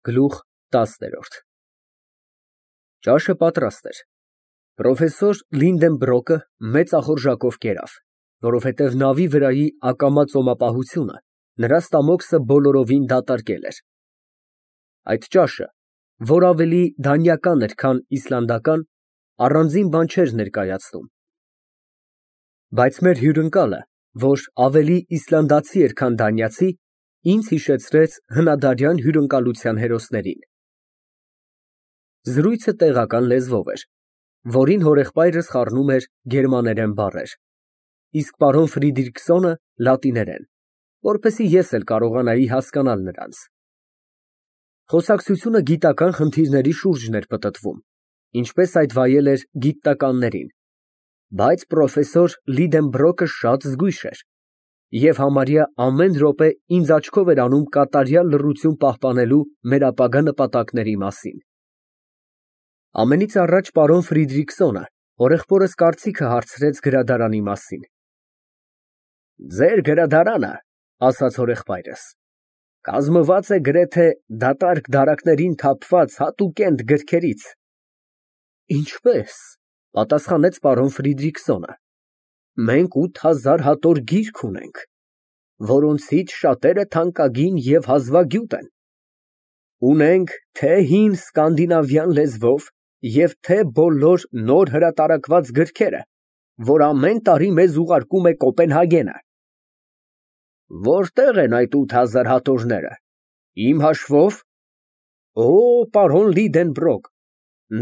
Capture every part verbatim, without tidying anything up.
Գլուխ տասը Ճաշը պատրաստ էր։ Պրոֆեսոր Լինդենբրոկը մեծ ախորժակով կերավ, որովհետև նավի վրայի ակամա ծոմապահությունը նրա ստամոքսը բոլորովին դատարկել էր։ Այդ ճաշը, որ ավելի դանիական էր, քան իսլանդական, առանձին բան չէր ներկայացնում։ Բայց մեր հյուրընկալը, որ ավելի իսլանդացի էր, քան դանիացի, ինձ հիշեցրեց հնադարյան հյուրընկալության հերոսներին։ Զրույցը տեղական լեզվով էր, որին հորեղբայրս խառնում էր գերմաներեն բառեր, իսկ պարոն Ֆրիդրիքսոնը՝ լատիներեն, որպեսզի ես էլ կարողանայի հասկանալ նրանց։ Խոսակցությունը գիտական խնդիրների շուրջն էր պտտվում, ինչպես այդ վայել էր գիտնականներին, բայց պրոֆեսոր Լինդենբրոկը շատ զգույշ էր և համարյա ամեն րոպե ինձ աչքով էր անում կատարյալ լռություն պահպանելու մեր ապագա նպատակների մասին։ Ամենից առաջ պարոն Ֆրիդրիքսոնը հորեղբորս կարծիքը հարցրեց գրադարանի մասին։ Ձեր գրադարանը, ասաց հորեղբայրս, կազմված է գրեթե դատարկ դարակներին թափված հատուկենտ գրքերից։ Ինչպես, պատասխանեց պարոն Ֆրիդրիքսոնը, մենք ութ հազար հատոր գիրք ունենք, որոնցից շատերը թանկագին և հազվագյուտ են։ Ունենք թե հին սկանդինավյան լեզվով և թե բոլոր նոր հրատարակված գրքերը, որ ամեն տարի մեզ ուղարկում է Կոպենհագենը։ Որտե՞ղ են այդ ութ հազար հատորները, իմ հաշվով։ Օ, պարոն Լինդենբրոկ,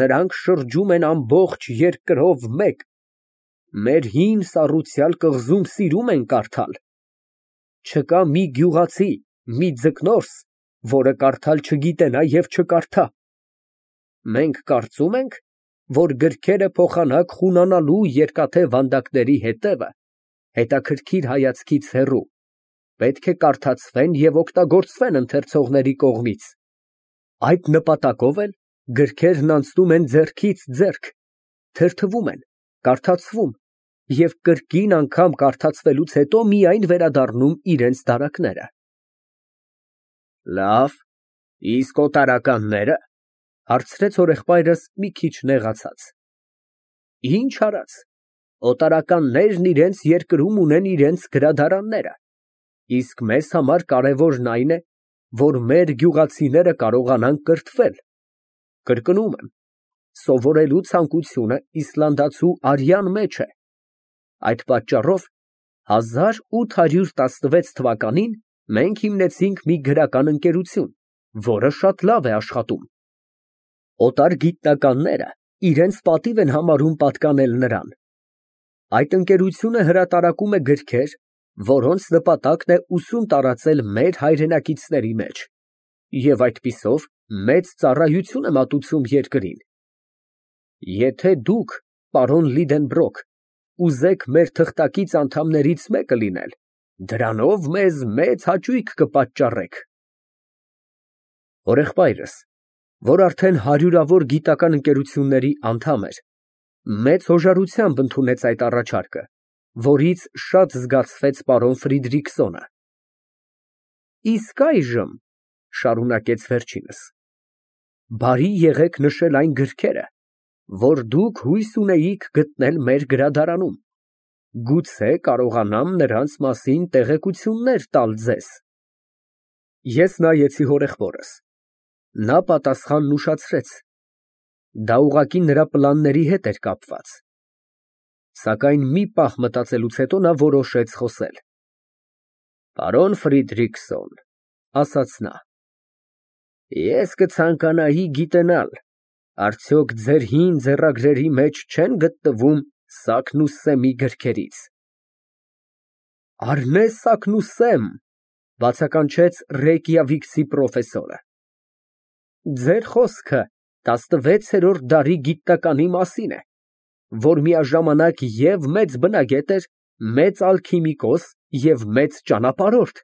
նրանք շրջում են ամբողջ երկրով մեկ, մեր հին սառույցյալ կղզում սիրում են կարդալ։ Չկա մի գյուղացի, մի ձկնորս, որը կարդալ չգիտենա և չկարդա։ Մենք կարծում ենք, որ գրքերը փոխանակ խունանալու երկաթե վանդակների հետևը, հետաքրքիր հայացքից հեռու, պետք է կարդացվեն և օգտագործվեն ընթերցողների կողմից։ Այդ նպատակով էլ գրքերն անցնում են ձեռքից ձեռք, թերթվում են, կարդացվում և կրկին անգամ կարդացվելուց հետո միայն վերադառնում իրենց դարակները։ Լավ, իսկ օտարականնե՞րը, հարցրեց հորեղբայրս մի քիչ նեղացած։ Ինչ արած, օտարականներն իրենց երկրում ունեն իրենց գրադարանները, իսկ մեզ համար կարևորն այն է, որ մեր գյուղացիները կարողանան կրթվել։ Կրկնում եմ, սովորելու ցանկությունը իսլանդացու արյան մեջ է։ Այդ պատճառով հազար ութ հարյուր տասնվեց թվականին մենք հիմնեցինք մի գրական ընկերություն, որը շատ լավ է աշխատում։ Օտար գիտնականները իրենց պատիվ են համարում պատկանել նրան։ Այդ ընկերությունը հրատարակում է գրքեր, որոնց նպատակն է ուսում տարածել մեր հայրենակիցների մեջ և այդպիսով մեծ ծառայություն է մատուցում երկրին։ Եթե դուք, պարոն Լինդենբրոկ, ուզեք մեր թղթակից անդամներից մեկը լինել, դրանով մեզ մեծ հաճույք կպատճառեք։ Հորեղբայրս, որ արդեն հարյուրավոր գիտական ընկերությունների անդամ էր, մեծ հոժարությամբ ընդունեց այդ առաջարկը, որից շատ զգացվեց պարոն Ֆրիդրիքսոնը։ Իսկ այժմ, շարունակեց վերջինս, բարի եղեք նշել այն գրքերը, որ դուք հույս ունեիք գտնել մեր գրադարանում, գուցե կարողանամ նրանց մասին տեղեկություններ տալ ձեզ։ Ես նայեցի հորեղբորս, նա պատասխանն ուշացրեց, դա ուղղակի նրա պլանների հետ էր կապված։ Սակայն մի պահ մտածելուց հետո նա որոշեց խոսել։ Պարոն Ֆրիդրիքսոն, ասաց նա, ես կցանկանայի գիտենալ, արդյոք ձեր հին ձեռագրերի մեջ չեն գտնվում Սակնուսեմի գրքերից։ Արնե Սակնուսեմ, բացականչեց Ռեյկյավիկցի պրոֆեսորը։ Ձեր խոսքը տասնվեցերորդ դարի գիտնականի մասին է, որ միաժամանակ և մեծ բնագետ էր, մեծ ալքիմիկոս և մեծ ճանապարհորդ։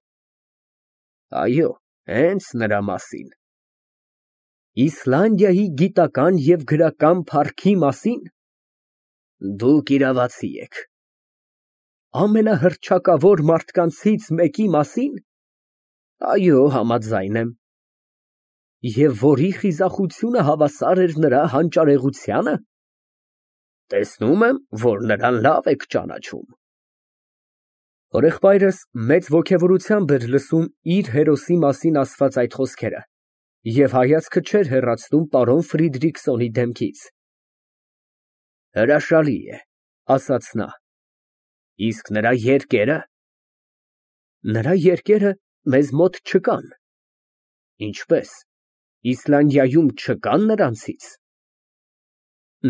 Այո, հենց նրա մասին։ Իսլանդիայի գիտական և գրական փառքի մասին։ Դուք իրավացի եք։ Ամենահռչակավոր մարդկանցից մեկի մասի՞ն։ Այո, համաձայն եմ։ Եվ որի խիզախությունը հավասար էր նրա հանճարեղությանը։ Տեսնում եմ, որ նրան լավ եք ճանաչում։ Հորեղբայրս մեծ ոգևորությամբ էր լսում իր հերոսի մասին ասված այդ խոսքերը և հայացքը չէր հեռացնում պարոն Ֆրիդրիքսոնի դեմքից։ Հրաշալի է, ասաց նա, իսկ նրա երկերը։ Նրա երկերը մեզ մոտ չկան։ Ինչպե՞ս, Իսլանդիայում չկան նրանցից։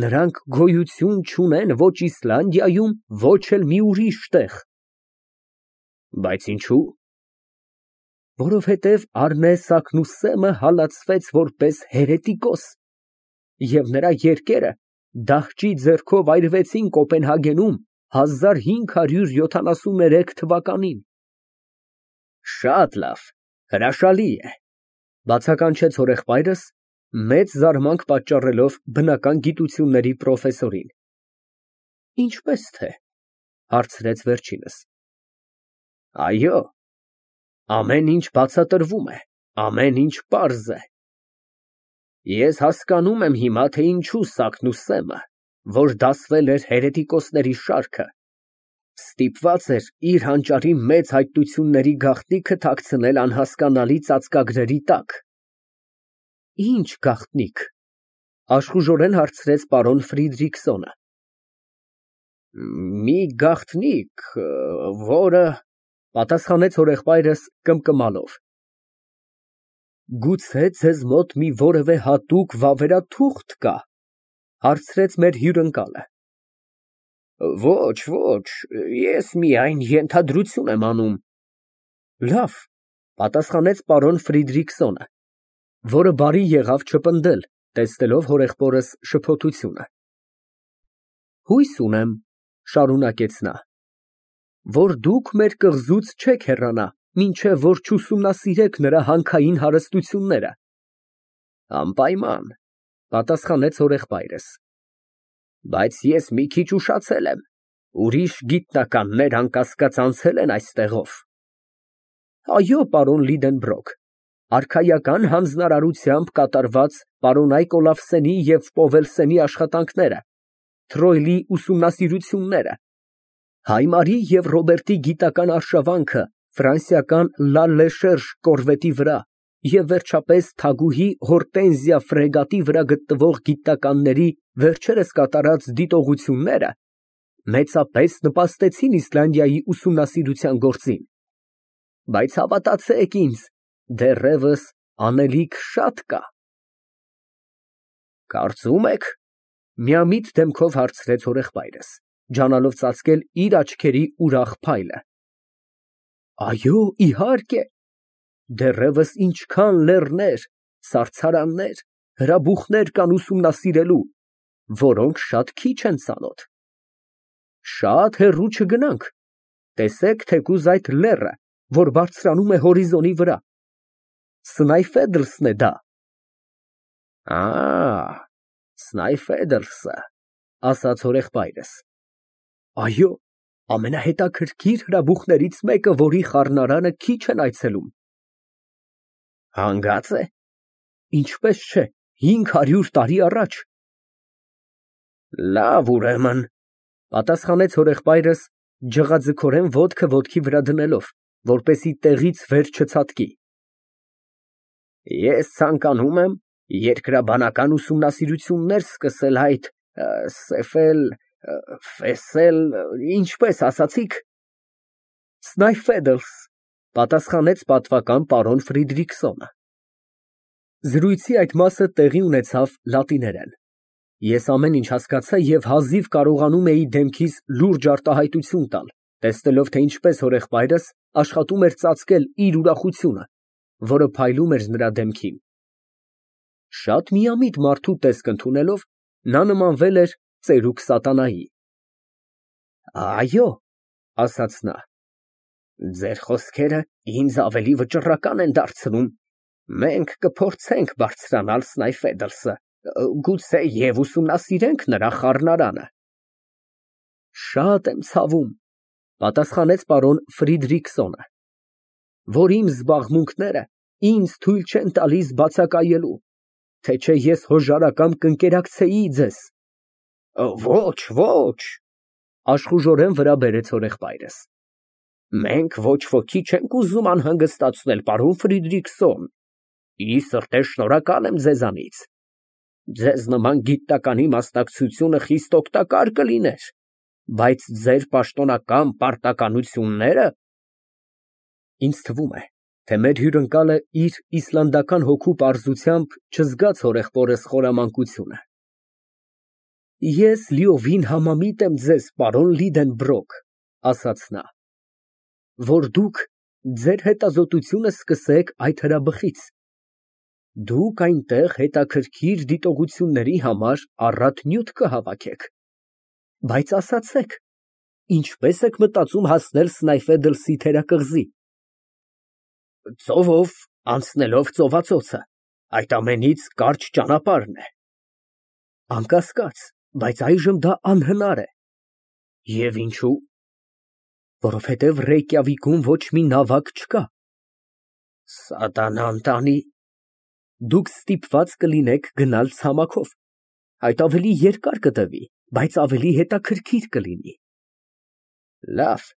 Նրանք գոյություն չունեն ոչ Իսլանդիայում, ոչ էլ մի ուրիշ տեղ։ Բայց ինչու՞։ Որովհետև Առնե Սագնուսեմը հալածվեց որպես հերետիկոս, և նրա երկերը դահճի ձեռքով այրվեցին Կոպենհագենում հազար հինգ հարյուր յոթանասուններեք թվականին։ Շատ լավ, հրաշալի է, բացականչեց հորեղբայրս, մեծ զարմանք պատճառելով բնական գիտությունների պրոֆեսորին։ Ինչպես թե, հարցրեց վերջինս։ Այո, ամեն ինչ բացատրվում է, ամեն ինչ պարզ է։ Ես հասկանում եմ հիմա, թե ինչու Սագնուսեմը, որ դասվել էր հերետիկոսների շարքը, ստիպված էր իր հանճարի մեծ հայտությունների գաղտնիքը թաքցնել անհասկանալի ծածկագրերի տակ։ Ինչ գաղտնիք, աշխուժորեն հարցրեց պարոն Ֆրիդրիքսոնը։ Մի գաղտնիք, որը, պատասխանեց հորեղբայրս կմկմալով։ Գուցե ձեզ մոտ մի որևէ հատուկ վավերաթուղթ կա, հարցրեց մեր հյուրընկալը։ Ոչ, ոչ, ես միայն ենթադրություն եմ անում։ Լավ, պատասխանեց պարոն Ֆրիդրիքսոնը, որը բարի եղավ չպնդել, տեսնելով հորեղբորս շփոթությունը։ Հույս ունեմ, շարունակեց նա, որ դուք մեր կղզուց չեք հեռանա, մինչև որ չուսումնասիրեք նրա հանքային հարստությունները։ Անպայման, պատասխանեց հորեղբայրս, բայց ես մի քիչ ուշացել եմ, ուրիշ գիտնականներ անկասկած անցել են այստեղով։ Այո, պարոն Լիդենբրոկ, արքայական հանձնարարությամբ կատարված պարոնայք Օլաֆսենի և Պովելսենի աշխատանքները, Թրոյլի ուսումնասիրությունները, Հայմարի և Ռոբերտի գիտական արշավանքը ֆրանսիական Լա Լեշերժ կորվետի վրա և վերջապես թագուհի Հորտենզիա ֆրեգատի վրա գտնվող գիտնականների վերջերս կատարած դիտողությունները մեծապես նպաստեցին Իսլանդիայի ուսումնասիրության գործին։ Բայց հավատացեք ինձ, դեռևս անելիք շատ կա։ Կարծում եք, միամիտ դեմքով հարցրեց հորեղբայրս, ջանալով ծածկել իր աչքերի ուրախ փայլը։ Այո, իհարկե, դեռևս ինչքան լեռներ, սառցարաններ, հրաբուխներ կան ուսումնասիրելու, որոնք շատ քիչ են ծանոթ։ Շատ հեռու չգնանք, տեսեք թեկուզ այդ լեռը, որ բարձրանում է հորիզոնի վրա։ Սնայֆեդլսն է դա։ Ա, Սնայֆեդլսը, ասաց հորեղբայրս։ Այո, ամենահետաքրքիր հրաբուխներից մեկը, որի խառնարանը քիչ են այցելում։ Հանգած է։ Ինչպես չէ, հինգ հարյուր տարի առաջ։ Լավ, ուրեմն, պատասխանեց հորեղբայրս, ջղաձգորեն ոտքը ոտքի վրա դնելով, որպեսզի տեղից վեր չցատկի։ Ես ցանկանում եմ երկրաբանական ուսումնասիրություններ սկսել այդ սեֆել, ֆեսել, ինչպես ասացիք։ Սնայֆեդլս, պատասխանեց պատվական պարոն Ֆրիդրիքսոնը։ Զրույցի այդ մասը տեղի ունեցավ լատիներեն։ Ես ամեն ինչ հասկացա և հազիվ կարողանում էի դեմքիս լուրջ արտահայտություն տալ, տեսնելով, թե ինչպես հորեղբայրս աշխատում էր ծածկել իր ուրախությունը, որը փայլում էր նրա դեմքին։ Շատ միամիտ մարդու տեսք ընդունելով, նա նմանվել էր ծերուկ սատանայի։ Այո, ասաց նա, ձեր խոսքերը ինձ ավելի վճռական են դարձնում։ Մենք կփորձենք բարձրանալ Սնայֆեդլսը, գուցե և ուսումնասիրենք նրա խառնարանը։ Շատ եմ ցավում, պատասխանեց պարոն Ֆրիդրիքսոնը, որ իմ զբաղմունքները ինձ թույլ չեն տալիս բացակայելու, թե չէ ես հոժարակամ կընկերակցեի ձեզ։ Ոչ, ոչ, աշխուժորեն վրա բերեց հորեղբայրս։ Մենք ոչ ոքի չենք ուզում անհանգստացնել, պարոն Ֆրիդրիխսոն, ի սրտե շնորհակալ եմ ձեզանից։ Ձեզ նման գիտականի մասնակցությունը խիստ օգտակար կլիներ, բայց ձեր պաշտոնական պարտականությունները… Ինձ թվում է, թե մեր հյուրընկալը իր իսլանդական հոգու պարզությամբ չզգաց հորեղբորս խորամանկությունը։ Ես լիովին համամիտ եմ ձեզ, պարոն Լիդենբրոկ, ասաց նա, որ դուք ձեր հետազոտությունը սկսեք այդ հրաբխից։ Դուք այնտեղ հետաքրքիր դիտողությունների համար առատ նյութ կհավաքեք, բայց ասացեք, ինչպե՞ս եք մտածում հասնել Սնայֆեդլսի թերակղզի։ Ծովով, անցնելով ծովածոցը, այդ ամենից կարճ ճանապարհն է։ Անկասկած, բայց այժմ դա անհնար է։ Եվ ինչու՞։ Որովհետև Ռեյկյավիկում ոչ մի նավակ չկա։ Սատանան տանի։ Դուք ստիպված կլինեք գնալ ցամաքով, այդ ավելի երկար կտևի, բայց ավելի հետաքրքիր կլինի։ Լավ,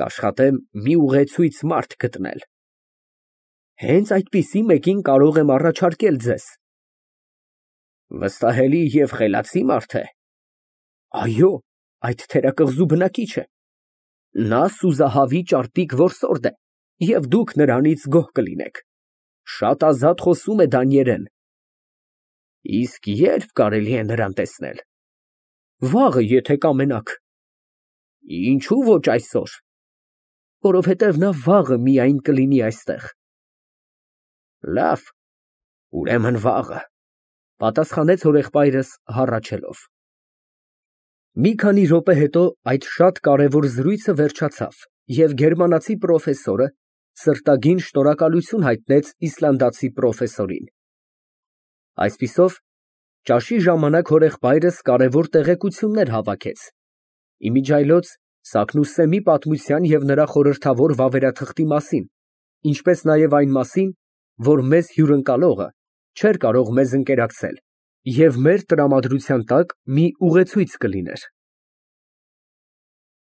կաշխատեմ մի ուղեցույց մարդ գտնել։ Հենց այդպիսի մեկին կարող եմ առաջարկել ձեզ։ Վստահելի և խելացի մարդ է։ Այո, այդ թերակղզու բնակիչ է։ Նա սուզահավի ճարպիկ որսորդ է, և դուք նրանից գոհ կլինեք։ Շատ ազատ խոսում է դանիերեն։ Իսկ ե՞րբ կարելի է նրան տեսնել։ Վաղը, եթե կամենաք։ Ինչու ոչ այսօր։ Որովհետև նա վաղը միայն կլինի այստեղ։ Լավ, ուրեմն վաղը, պատասխանեց հորեղբայրս հառաչելով։ Մի քանի րոպե հետո այդ շատ կարևոր զրույցը վերջացավ, և գերմանացի պրոֆեսորը սրտագին շնորհակալություն հայտնեց իսլանդացի պրոֆեսորին։ Այսպիսով, ճաշի ժամանակ հորեղբայրս կարևոր տեղեկություններ հավաքեց, իմիջիայլոց Սագնուսսեմի պատմության և նրա խորհրդավոր վավերաթղթի մասին, ինչպես նաև այն մասին, որ մեզ հյուրընկալողը չէր կարող մեզ ընկերակցել և մեր տրամադրության տակ մի ուղեցույց կլիներ։